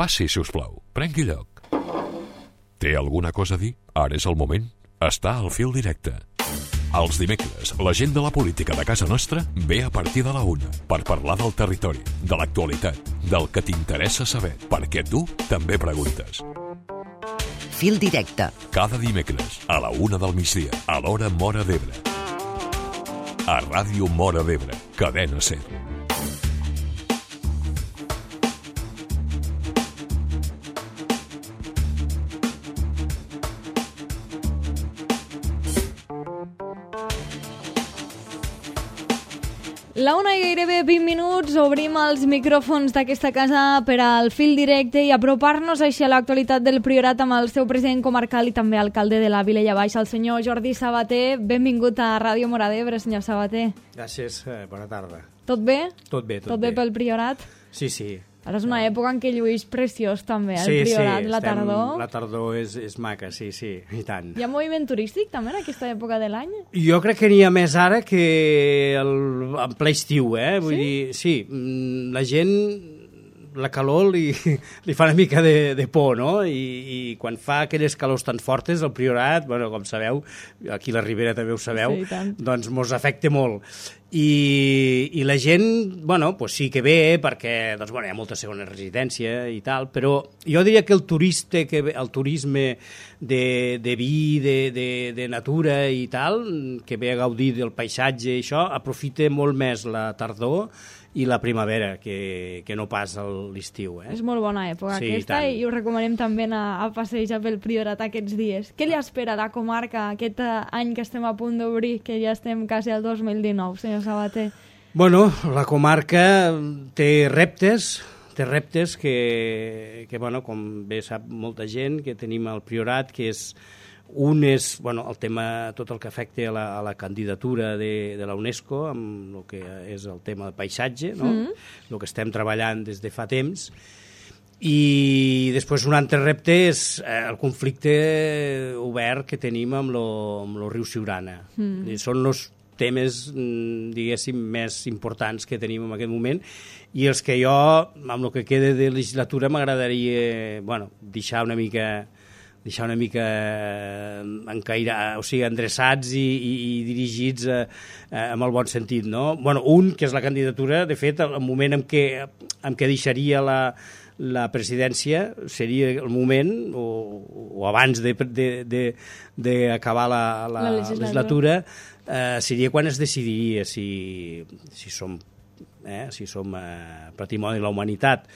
Passi, si us plau. Prengui lloc. Té alguna cosa a dir? Ara és el moment. Està al fil directe. Els dimecres, la gent de la política de casa nostra ve a partir de la 1 per parlar del territori, de l'actualitat, del que t'interessa saber, perquè tu també preguntes. Fil directe. Cada dimecres, a la 1 del migdia, a l'hora Móra d'Ebre. A Ràdio Móra d'Ebre, Cadena SER. La 1 i gairebé 20 minuts, obrim els micròfons d'aquesta casa per al fil directe i apropar-nos així a l'actualitat del Priorat amb el seu president comarcal i també alcalde de la Vilella Baixa, el senyor Jordi Sabater. Benvingut a Ràdio Móra d'Ebre, senyor Sabater. Gràcies, bona tarda. Tot bé? Tot bé, Tot bé pel Priorat? Sí, sí. Ara és una època en què lluís preciós també, el Priorat, la tardor. La tardor és maca, sí, i tant. Hi ha moviment turístic també en aquesta època de l'any? Jo crec que n'hi ha més ara que en ple estiu, Vull dir, sí, la gent, la calor li fa una mica de por, no? I quan fa aquelles calors tan fortes, el Priorat, bueno, com sabeu, aquí a la Ribera també ho sabeu, doncs mos afecta molt. I la gent, bueno, pues sí que ve perquè doncs, bueno, hi ha molta segona residència i tal, però jo diria que el turisme de vi, de natura i tal, que ve a gaudir del paisatge i això, aprofita molt més la tardor i la primavera, que no pas l'estiu. És molt bona època aquesta i us recomanem també anar a passejar pel Priorat aquests dies. Què li espera a la comarca aquest any que estem a punt d'obrir, que ja estem quasi al 2019, senyor Sabater? Bueno, la comarca té reptes que bueno, com bé sap molta gent, que tenim al Priorat, que és un és el tema, tot el que afecta a la candidatura de la UNESCO amb el que és el tema de paisatge, no? El que estem treballant des de fa temps, i després un altre repte és el conflicte obert que tenim amb el riu Siurana. Són els temes, diguéssim, més importants que tenim en aquest moment i els que jo, amb el que queda de legislatura, m'agradaria deixar una mica o sigui, endreçats i dirigits amb el bon sentit, no? Un, que és la candidatura, de fet, el moment en què deixaria la presidència seria el moment, o abans d'acabar la legislatura, seria quan es decidiria si som patrimoni de la humanitat,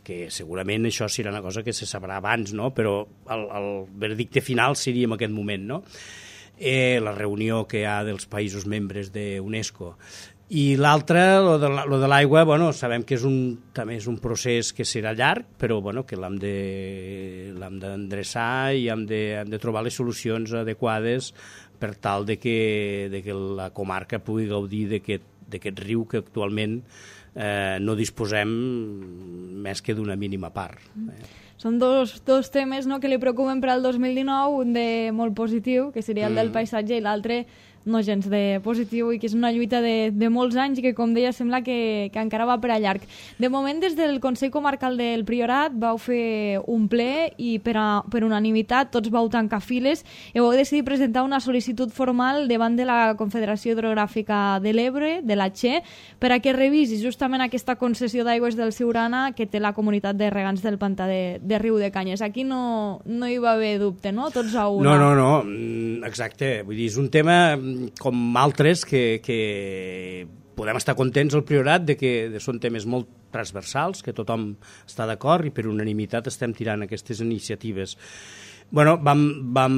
que segurament això serà una cosa que se sabrà abans, no? Però el veredicte final seria en aquest moment, no? La reunió que hi ha dels països membres d'UNESCO. I l'altre, lo de l'aigua, sabem que també és un procés que serà llarg, però que l'hem d'endreçar i hem de trobar les solucions adequades per tal de que la comarca pugui gaudir d'aquest riu que actualment no disposem més que d'una mínima part. Són dos temes que li preocupen per al 2019, un de molt positiu, que seria el del paisatge, i l'altre no gens de positiu, i que és una lluita de molts anys i que, com deia, sembla que encara va per a llarg. De moment, des del Consell Comarcal del Priorat vau fer un ple i per unanimitat tots vau tancar files i vau decidir presentar una sol·licitud formal davant de la Confederació Hidrogràfica de l'Ebre, de la Che, per a que revisi justament aquesta concessió d'aigües del Siurana que té la comunitat de regants del pantà de Riu de Canyes. Aquí no hi va haver dubte, no? Tots a una. No, exacte. Vull dir, és un tema com altres que podem estar contents al Priorat de que són temes molt transversals, que tothom està d'acord i per unanimitat estem tirant aquestes iniciatives. Vam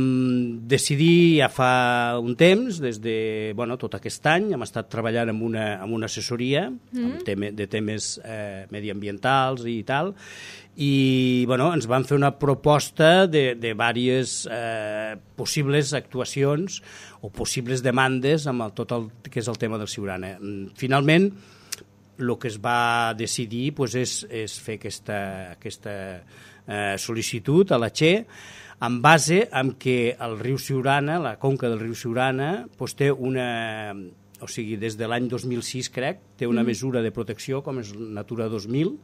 decidir ja fa un temps, des de tot aquest any, hem estat treballant amb una assessoria de temes mediambientals i tal, i ens van fer una proposta de diverses possibles actuacions o possibles demandes amb tot el que és el tema del Siurana. Finalment, el que es va decidir és fer aquesta sol·licitud a la Che, en base en què el riu Siurana, la conca del riu Siurana, té una... O sigui, des de l'any 2006, crec, té una mesura de protecció, com és Natura 2000,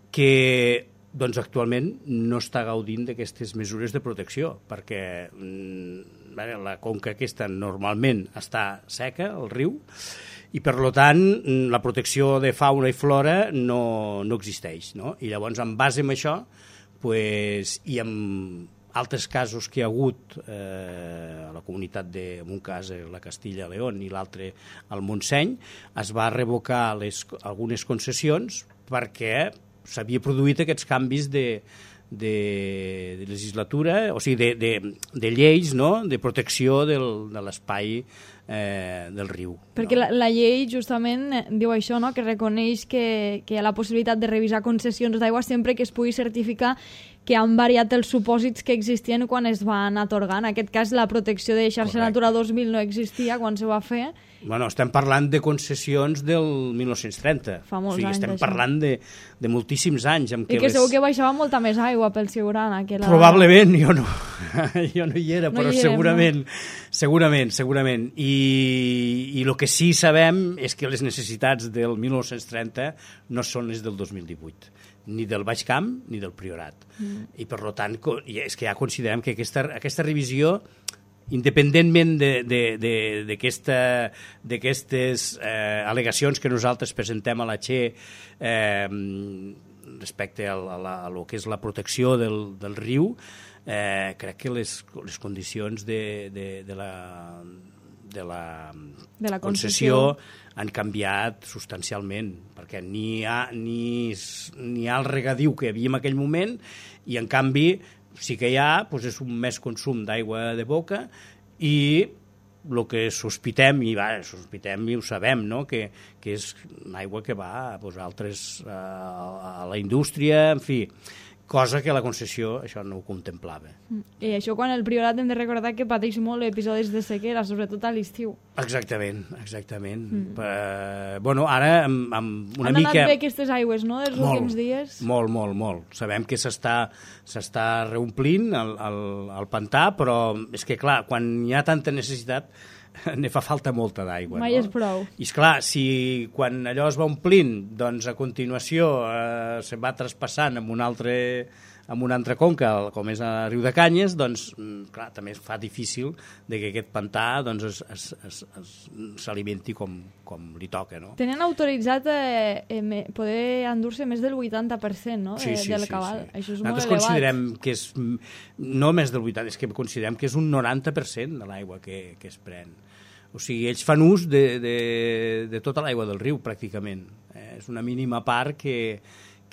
que doncs actualment no està gaudint d'aquestes mesures de protecció, perquè la conca aquesta normalment està seca, el riu, i per tant la protecció de fauna i flora no existeix, no? I llavors en base a això i amb altres casos que hi ha hagut a la comunitat en un cas la Castilla-León i l'altre al Montseny, es va revocar algunes concessions perquè s'havia produït aquests canvis de legislatura, o sigui, de lleis, no?, de protecció de l'espai del riu. Perquè la llei justament diu això, no?, que reconeix que hi ha la possibilitat de revisar concessions d'aigua sempre que es pugui certificar que han variat els supòsits que existien quan es van atorgar. En aquest cas, la protecció de xarxa Natura 2000 no existia quan se va fer. Bueno, estem parlant de concessions del 1930. Fa molts anys, estem parlant de moltíssims anys. I que segur que baixava molta més aigua pel Siurana. Probablement, jo no hi era, però segurament. I el que sí sabem és que les necessitats del 1930 no són les del 2018, ni del Baix Camp ni del Priorat. I per tant, és que ja considerem que aquesta revisió, independentment d'aquestes al·legacions que nosaltres presentem a la Che respecte a lo que és la protecció del riu, crec que les condicions de la concessió han canviat substancialment, perquè ni hi ha el regadiu que hi havia en aquell moment, i en canvi sí que hi ha, doncs és un més consum d'aigua de boca, i el que sospitem, i ho sabem, no?, que és aigua que va a la indústria, en fi, cosa que la concessió això no ho contemplava. I això quan el Priorat hem de recordar que pateix molt episodis de sequera, sobretot a l'estiu. Exactament. Bueno, ara amb una mica... Han anat bé aquestes aigües, no?, dels últims dies? Molt. Sabem que s'està reomplint el pantà, però és que, clar, quan hi ha tanta necessitat ne fa falta molta d'aigua. Mai és prou. I esclar, si quan allò es va omplint, doncs a continuació se va traspassant amb una altra conca, com és a Riu de Canyes, doncs, clar, també es fa difícil que aquest pantà s'alimenti com li toca, no? Tenen autoritzat poder endur-se més del 80%, no?, del cabal. Sí. Això és nosaltres molt elevat. Considerem que és no més del 80%, és que considerem que és un 90% de l'aigua que es pren. O sigui, ells fan ús de tota l'aigua del riu, pràcticament. És una mínima part que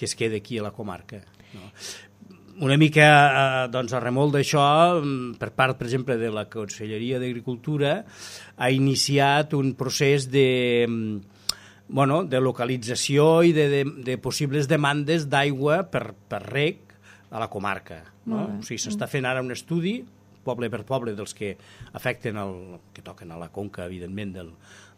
es queda aquí a la comarca, no? Una mica doncs, a remolc d'això, per part, per exemple, de la Conselleria d'Agricultura, ha iniciat un procés de localització i de possibles demandes d'aigua per reg a la comarca, no? O sigui, s'està fent ara un estudi poble per poble dels que afecten que toquen a la conca, evidentment,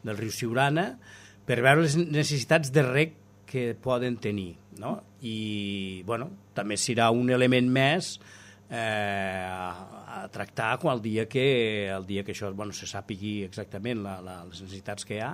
del riu Siurana, per veure les necessitats de reg que poden tenir, no? I, també serà un element més a tractar el dia que això se sàpigui exactament les necessitats que hi ha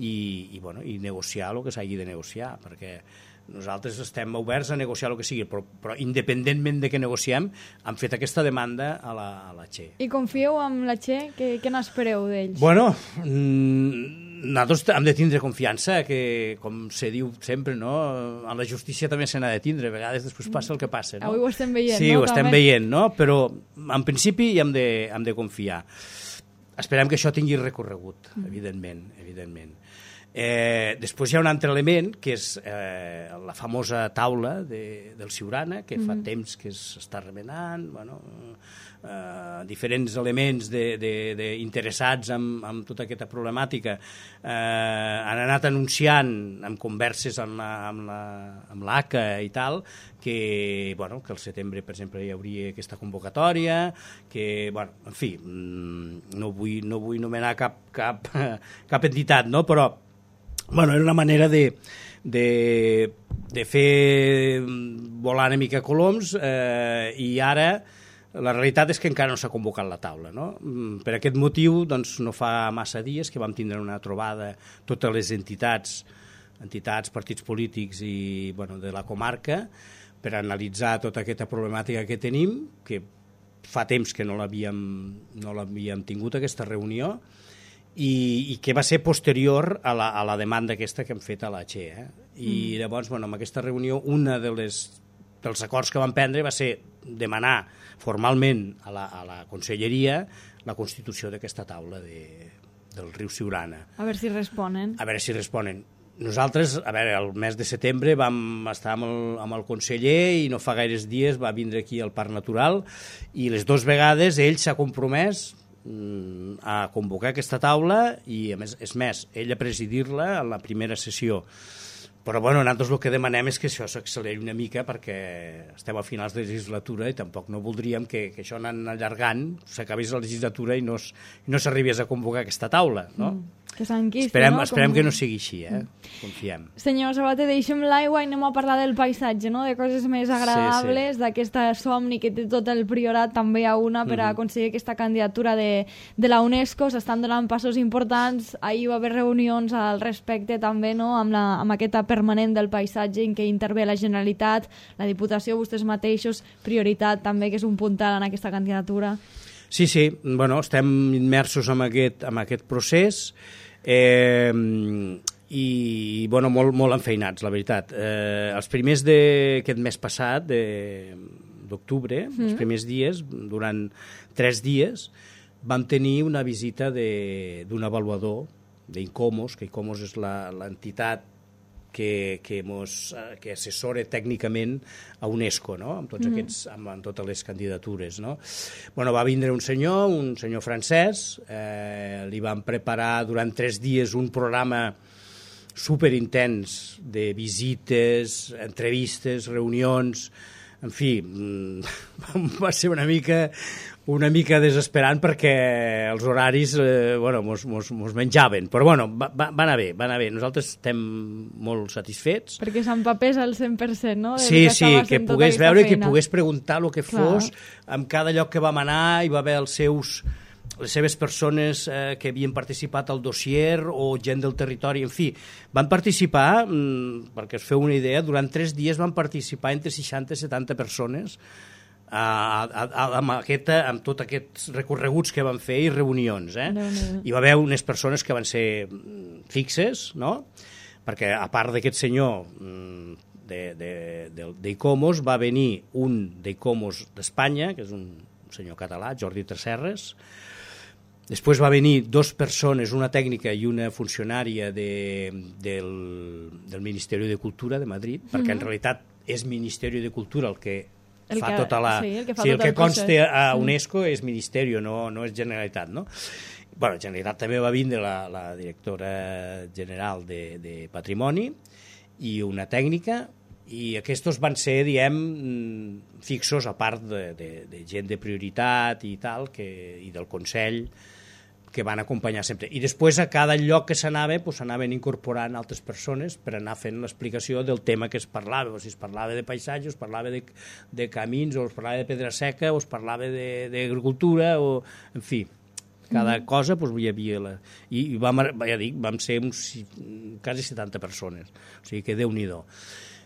i negociar el que s'hagi de negociar, perquè nosaltres estem oberts a negociar el que sigui, però independentment de què negociem, hem fet aquesta demanda a la Che. I confieu amb la Che? Què n'espereu d'ells? Bueno, nosaltres hem de tindre confiança, que, com se diu sempre, no? A la justícia també se n'ha de tindre, a vegades després passa el que passa, no? Avui ho estem veient, sí, no? Sí, ho estem veient, no? Però en principi hi hem de confiar. Esperem que això tingui recorregut, evidentment. Després hi ha un altre element, que és la famosa taula del Siurana, que fa temps que s'està remenant, diferents elements interessats en tota aquesta problemàtica han anat anunciant en converses amb l'ACA i tal, que al setembre, per exemple, hi hauria aquesta convocatòria, que, en fi, no vull nomenar cap entitat, no? Però era una manera de fer volar una mica coloms, i ara la realitat és que encara no s'ha convocat la taula, no? Per aquest motiu, no fa massa dies que vam tindre una trobada totes les entitats, partits polítics i de la comarca, per analitzar tota aquesta problemàtica que tenim, que fa temps que no l'havíem tingut, aquesta reunió, i que va ser posterior a la demanda aquesta que hem fet a la XE. I llavors, amb aquesta reunió, una dels acords que vam prendre va ser demanar formalment a la Conselleria la constitució d'aquesta taula del riu Siurana. A veure si responen. Nosaltres, el mes de setembre vam estar amb el conseller i no fa gaires dies va vindre aquí al Parc Natural i les 2 vegades ell s'ha compromès a convocar aquesta taula i, a més, ell a presidir-la en la primera sessió. Però, nosaltres el que demanem és que això s'acceleri una mica perquè estem a finals de legislatura i tampoc no voldríem que això anant allargant s'acabés la legislatura i no s'arribés a convocar aquesta taula, no? Que s'enquisti, no? Esperem que no sigui així, confiem. Senyor Sabater, deixem l'aigua i anem a parlar del paisatge, no? De coses més agradables, d'aquesta somni que té tot el Priorat, també hi ha una per a aconseguir aquesta candidatura de la UNESCO. S'estan donant passos importants. Ahir va haver reunions al respecte també, no? Amb aquesta permanent del paisatge en què intervé la Generalitat, la Diputació, vostès mateixos, Prioritat també, que és un puntal en aquesta candidatura. Sí, estem immersos en aquest procés i molt enfeinats, la veritat. Els primers d'aquest mes passat, d'octubre, els primers dies, durant 3 dies, vam tenir una visita d'un avaluador d'ICOMOS, que ICOMOS és l'entitat que assessora tècnicament a UNESCO, no? amb totes les candidatures. No? Va vindre un senyor francès, li van preparar durant 3 dies un programa superintens de visites, entrevistes, reunions, en fi, va ser una mica desesperant perquè els horaris mos menjaven, però va anar bé. Nosaltres estem molt satisfets. Perquè s'empapés al 100%, no? Sí, que pogués veure, que pogués preguntar el que fos. En cada lloc que vam anar hi va haver les seves persones que havien participat al dossier o gent del territori, en fi, van participar, perquè us feu una idea, durant 3 dies van participar entre 60 i 70 persones amb tots aquests recorreguts que van fer i reunions. Hi va haver unes persones que van ser fixes, no? Perquè a part d'aquest senyor d'ICOMOS va venir un d'ICOMOS d'Espanya, que és un senyor català, Jordi Tresserres. Després va venir 2 persones, una tècnica i una funcionària del Ministeri de Cultura de Madrid, perquè en realitat és Ministeri de Cultura el que fa tota la... el que consta a UNESCO és Ministeri, no és Generalitat, no? Generalitat també va vindre la directora general de Patrimoni i una tècnica, i aquests van ser, fixos, a part de gent de Prioritat i tal, i del Consell, que van acompanyar sempre. I després a cada lloc que s'anava s'anaven incorporant altres persones per anar fent l'explicació del tema que es parlava, si es parlava de paisatge, o es parlava de camins, o es parlava de pedra seca, o es parlava d'agricultura, o en fi, cada cosa hi havia... I vam ser quasi 70 persones, o sigui que Déu-n'hi-do.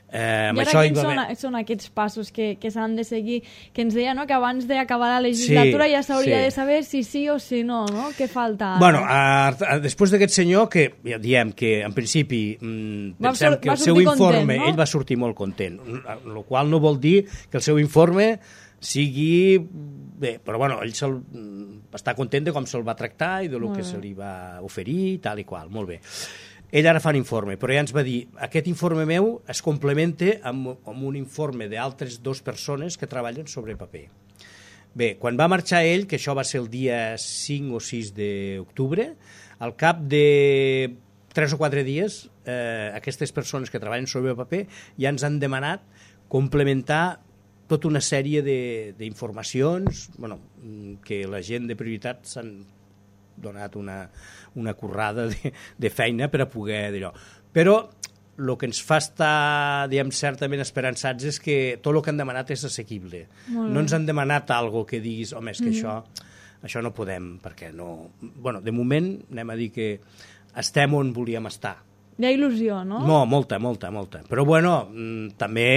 I ara quins són aquests passos que s'han de seguir, que ens deia que abans d'acabar la legislatura ja s'hauria de saber si sí o si no, què falta? Després d'aquest senyor, que ja diem que en principi pensem que el seu informe, ell va sortir molt content, el qual no vol dir que el seu informe sigui bé, però ell està content de com se'l va tractar i del que se li va oferir, tal i qual, molt bé. Ell ara fa un informe, però ja ens va dir aquest informe meu es complementa amb un informe d'altres 2 persones que treballen sobre paper. Bé, quan va marxar ell, que això va ser el dia 5 o 6 d'octubre, al cap de 3 o 4 dies, aquestes persones que treballen sobre paper ja ens han demanat complementar tota una sèrie d'informacions que la gent de Prioritat s'han donat una currada de feina per a poder dir-ho. Però el que ens fa estar, certament esperançats és que tot el que han demanat és assequible. No ens han demanat alguna que diguis, home, és que això no podem, perquè no... de moment anem a dir que estem on volíem estar. Hi ha il·lusió, no? No, molta. Però, també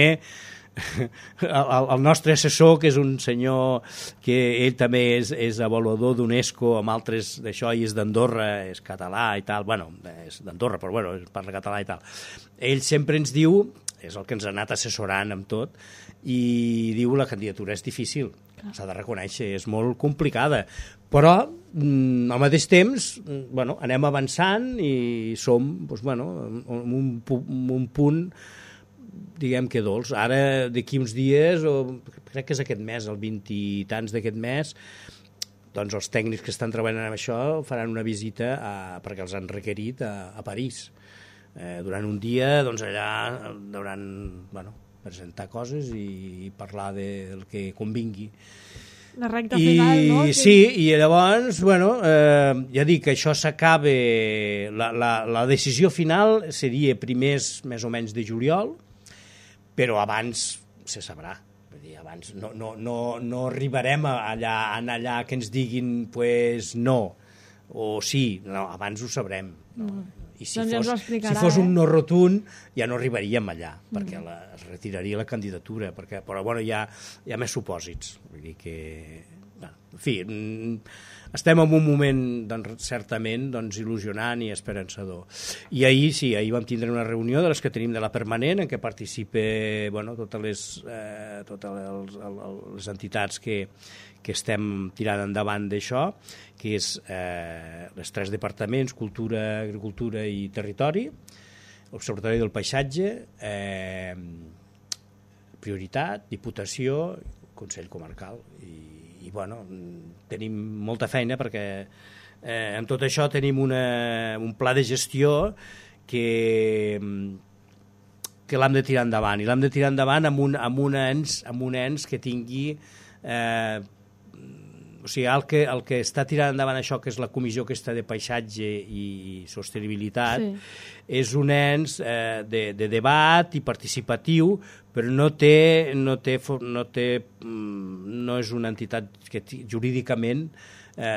el nostre assessor, que és un senyor que ell també és avaluador d'UNESCO amb altres d'això, i és d'Andorra, és català i tal, bueno, és d'Andorra, però bueno, parla català i tal. Ell sempre ens diu, és el que ens ha anat assessorant amb tot, i diu la candidatura és difícil, s'ha de reconèixer, és molt complicada, però al mateix temps bueno, anem avançant i som doncs, bueno, un punt diguem que dolç. Ara, d'aquí uns dies, o crec que és aquest mes, el 20 i tants d'aquest mes, doncs els tècnics que estan treballant en això faran una visita perquè els han requerit a París. Durant un dia, doncs allà hauran, bueno, presentar coses i parlar del que convingui. La recta final, no? Sí, i llavors, bueno, ja dic que això s'acaba, la decisió final seria primers més o menys de juliol, però abans se sabrà. Vull dir, abans no arribarem allà que ens diguin pues, no, o sí, no, abans ho sabrem. No? I si, doncs si fos un no rotund, ja no arribaríem allà, perquè es retiraria la candidatura, però bueno, hi ha més supòsits. Vull dir que, bueno, en fi, estem en un moment doncs, certament doncs, il·lusionant i esperançador. I ahir vam tindre una reunió de les que tenim de la permanent, en què participa bueno, totes les entitats que estem tirant endavant d'això, que és els 3 departaments, Cultura, Agricultura i Territori, l'Observatori del Paisatge, Prioritat, Diputació, Consell Comarcal. I bueno, tenim molta feina perquè en tot això tenim un pla de gestió que l'hem de tirar endavant, i l'hem de tirar endavant amb un ens que tingui o sigui, el que està tirant endavant això, que és la comissió aquesta de paisatge i sostenibilitat, és un ens de debat i participatiu, però no és una entitat que jurídicament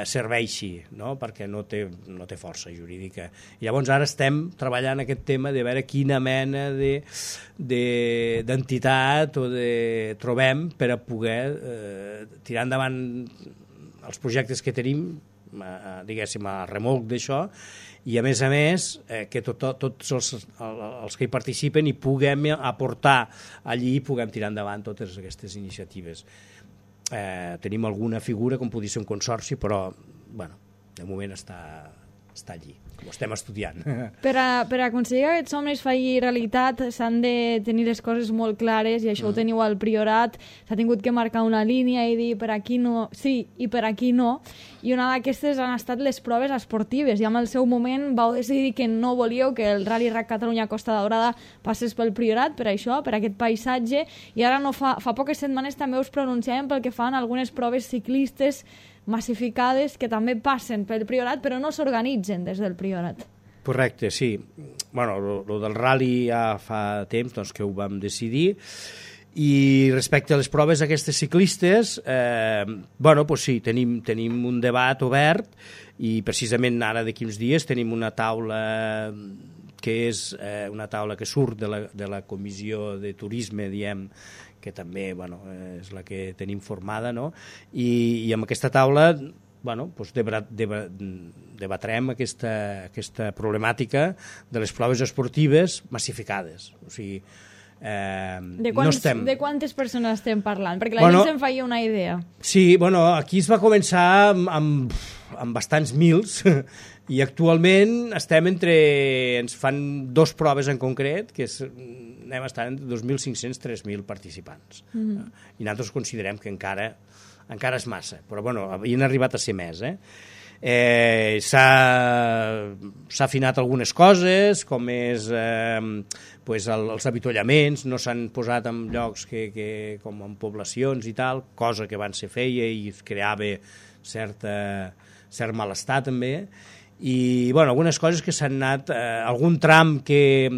serveixi, no? Perquè no té força jurídica. I llavors ara estem treballant aquest tema de veure quina mena d'entitat trobem per a poder tirar endavant els projectes que tenim, diguéssim, a remolc d'això, i a més que tots els que hi participen hi puguem aportar allí i puguem tirar endavant totes aquestes iniciatives. Tenim alguna figura com podria ser un consorci, però bueno, de moment està allí, ho estem estudiant. Per a aconseguir que aquests somnis faci realitat s'han de tenir les coses molt clares, i això ho teniu al Priorat. S'ha tingut que marcar una línia i dir per aquí no, sí, i per aquí no, i una d'aquestes han estat les proves esportives, i en el seu moment vau decidir que no volíeu que el Rally Rac Catalunya Costa Daurada passés pel Priorat, per això, per aquest paisatge, i ara no fa poques setmanes també us pronunciàvem pel que fan algunes proves ciclistes massificades que també passen pel Priorat però no s'organitzen des del Priorat. Correcte, sí. Bueno, lo del rally ja fa temps doncs, que ho vam decidir, i respecte a les proves aquestes ciclistes, bueno, pues sí, tenim un debat obert, i precisament ara d'aquí uns dies tenim una taula que és una taula que surt de la comissió de turisme, diem, que també bueno, és la que tenim formada, no? I amb aquesta taula bueno, doncs debatrem aquesta problemàtica de les proves esportives massificades. O sigui, de quantes persones estem parlant? Perquè la gent se'n feia una idea. Sí, bueno, aquí es va començar amb bastants mils, i actualment ens fan 2 proves en concret, que anem a estar entre 2.500 i 3.000 participants. I nosaltres considerem que encara és massa, però bueno, havien arribat a ser més. S'ha afinat algunes coses, com és pues els avituallaments, no s'han posat en llocs com en poblacions i tal, cosa que abans se feia i es creava cert malestar també, i bueno, algunes coses que s'han anat, algun tram que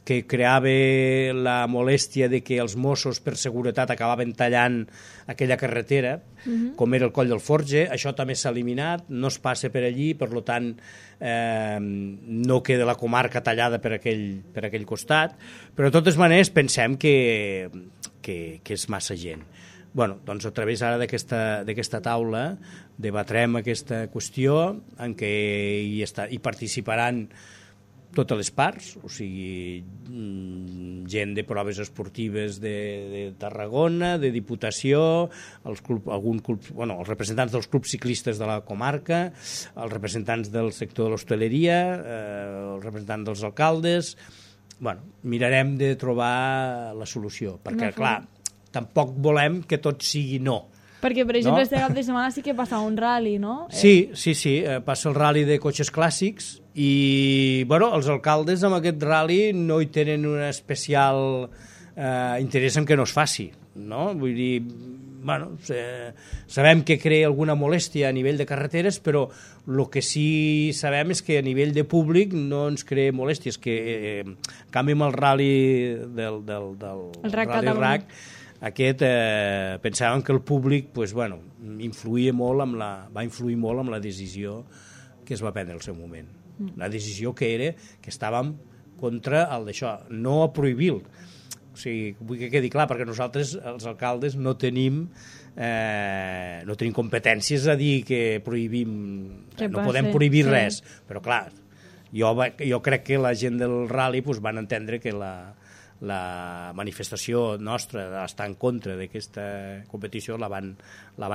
que creava la molèstia de que els Mossos per seguretat acabaven tallant aquella carretera, com era el Coll del Forge. Això també s'ha eliminat, no es passa per allí, per tant no queda la comarca tallada per aquell costat, però de totes maneres pensem que és massa gent. Bueno, doncs a través ara d'aquesta taula debatrem aquesta qüestió en què hi participaran totes les parts, o sigui, gent de proves esportives de Tarragona, de Diputació, els representants dels clubs ciclistes de la comarca, els representants del sector de l'hostaleria, els representants dels alcaldes. Bueno, mirarem de trobar la solució, perquè, clar, tampoc volem que tot sigui no. Perquè, per exemple, este cap de setmana sí que passa un rally, no? Sí, passa el rally de cotxes clàssics i, bueno, els alcaldes amb aquest rally no hi tenen un especial interès en que no es faci, no? Vull dir, bueno, sabem que crea alguna molèstia a nivell de carreteres, però el que sí sabem és que a nivell de públic no ens crea molèsties, que en canvi amb el rally del Rally RAC, aquest pensàvem que el públic va influir molt amb la decisió que es va prendre al seu moment. La decisió que era que estàvem contra el d'això, no a prohibir-lo. O sigui, vull que quedi clar, perquè nosaltres, els alcaldes, no tenim competències a dir que prohibim, no podem prohibir res, però clar, jo crec que la gent del rally van entendre que la manifestació nostra d'estar en contra d'aquesta competició la van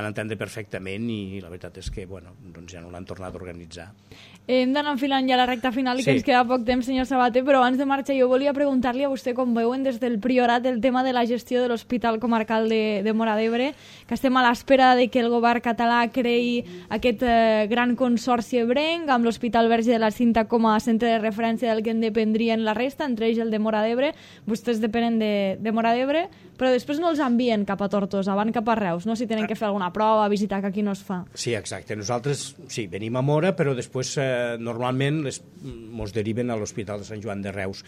entendre perfectament i la veritat és que doncs ja no l'han tornat a organitzar. Hem d'anar enfilant ja la recta final i que ens queda poc temps, senyor Sabater, però abans de marxar jo volia preguntar-li a vostè com veuen des del Priorat el tema de la gestió de l'Hospital Comarcal de Móra d'Ebre, que estem a l'espera de que el govern català creï aquest gran consorci ebrenc amb l'Hospital Verge de la Cinta com a centre de referència del que en dependrien la resta, entre ells el de Móra d'Ebre. Vostès depenen de Móra d'Ebre, però després no els envien cap a Tortosa, van cap a Reus, no? Si tenen que fer alguna prova, visitar, que aquí no es fa. Sí, exacte. Nosaltres, sí, venim a Móra, però després normalment ens deriven a l'Hospital de Sant Joan de Reus.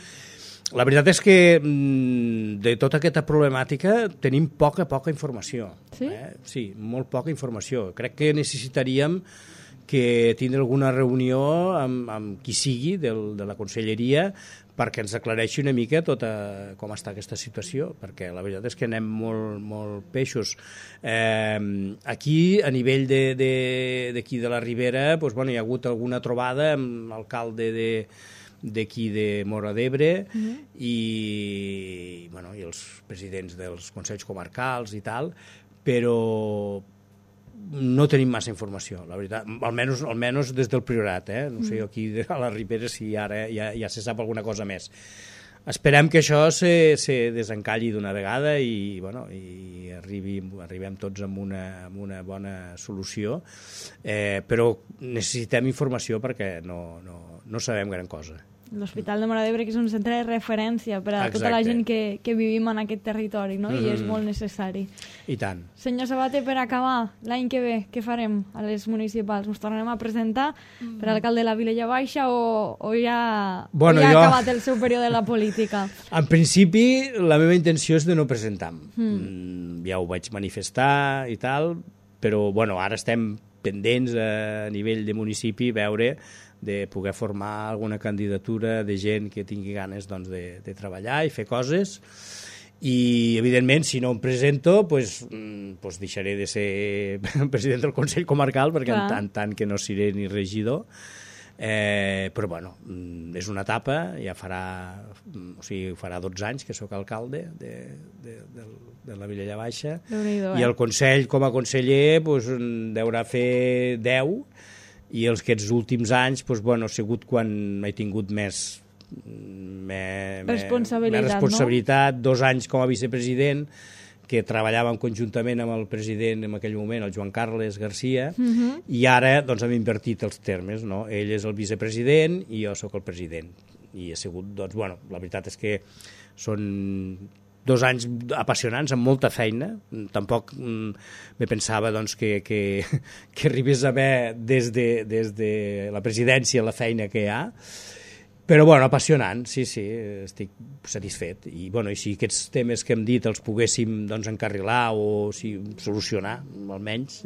La veritat és que de tota aquesta problemàtica tenim poca informació. Sí? Sí, molt poca informació. Crec que necessitaríem que tindre alguna reunió amb qui sigui de la conselleria perquè ens aclareixi una mica com està aquesta situació, perquè la veritat és que anem molt peixos. Aquí, a nivell d'aquí de la Ribera, hi ha hagut alguna trobada amb l'alcalde d'aquí de Móra d'Ebre i els presidents dels consells comarcals i tal, però no tenim massa informació, la veritat, almenys des del Priorat, no sé aquí a la Ribera si ara ja se sap alguna cosa més. Esperem que això se desencalli d'una vegada i arribem tots amb una bona solució, però necessitem informació perquè no sabem gran cosa. L'Hospital de Móra d'Ebre, que és un centre de referència per a tota la gent que vivim en aquest territori, no? I és molt necessari. I tant. Senyor Sabater, per acabar, l'any que ve, què farem a les municipals? Ens tornarem a presentar per alcalde de la Vilella Baixa o ja ha acabat el seu període de la política? En principi, la meva intenció és de no presentar-me. Ja ho vaig manifestar i tal, però ara estem pendents a nivell de municipi veure de poder formar alguna candidatura de gent que tingui ganes de treballar i fer coses i evidentment si no em presento deixaré de ser president del Consell Comarcal perquè en tant que no seré ni regidor, però és una etapa, ja farà 12 anys que sóc alcalde de la Vilella Baixa i el Consell com a conseller deurà fer 10 i aquests últims anys ha sigut quan he tingut més responsabilitat, 2 anys com a vicepresident, que treballàvem conjuntament amb el president en aquell moment, el Joan Carles Garcia, i ara hem invertit els termes, no? Ell és el vicepresident i jo sóc el president. I ha sigut, la veritat és que són 2 anys apassionants, amb molta feina. Tampoc me pensava que arribés a haver des de la presidència la feina que hi ha. Però, bueno, apassionant, sí, estic satisfet. I, bueno, i si aquests temes que hem dit els poguéssim doncs, encarrilar o solucionar, almenys,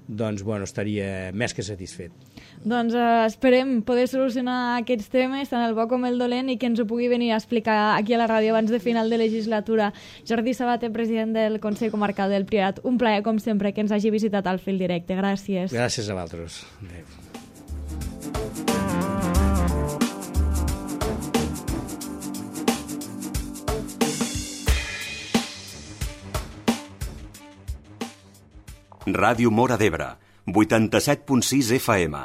doncs, bueno, estaria més que satisfet. Doncs esperem poder solucionar aquests temes, tant el bo com el dolent, i que ens ho pugui venir a explicar aquí a la ràdio abans de final de legislatura. Jordi Sabater, president del Consell Comarcal del Priorat, un plaer, com sempre, que ens hagi visitat al Fil Directe. Gràcies. Gràcies a vosaltres. Adéu. Ràdio Móra d'Ebre, 87.6 FM.